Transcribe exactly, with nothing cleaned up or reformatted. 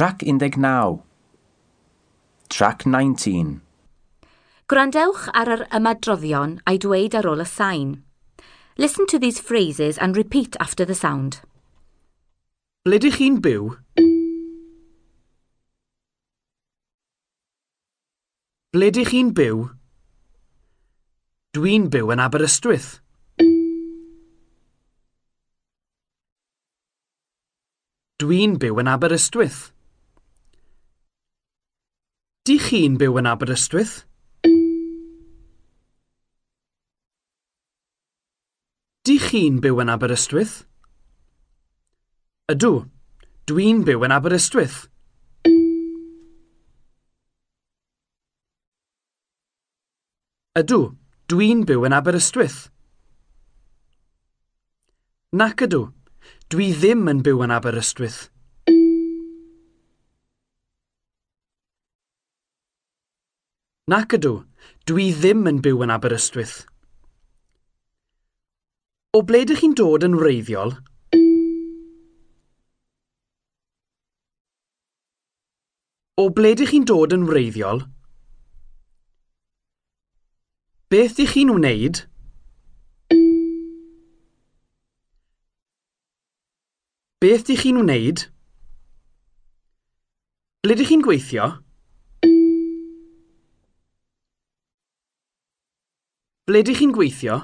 Trac un deg naw. Trac nineteen. Gwrandewch ar yr ymadroddion a'i dweud ar ôl y sain. Listen to these phrases and repeat after the sound. Ble dych chi'n byw? Ble dych chi'n byw? Dwi'n byw yn Aberystwyth. Dwi'n byw yn Aberystwyth. Dych chi'n byw yn Aberystwyth? Dych chi'n byw yn Aberystwyth? Ydw, dwi'n byw yn Aberystwyth. Ydw, dwi'n byw yn Aberystwyth. Nac ydw, dwi ddim yn byw yn Aberystwyth. Nac ydw, dwi ddim yn byw yn Aberystwyth. O ble dych chi'n dod yn wreiddiol? O ble dych chi'n dod yn wreiddiol? Beth dych chi'n wneud? Beth dych chi'n wneud? Ble dych chi'n gweithio? Ble dych chi'n gweithio?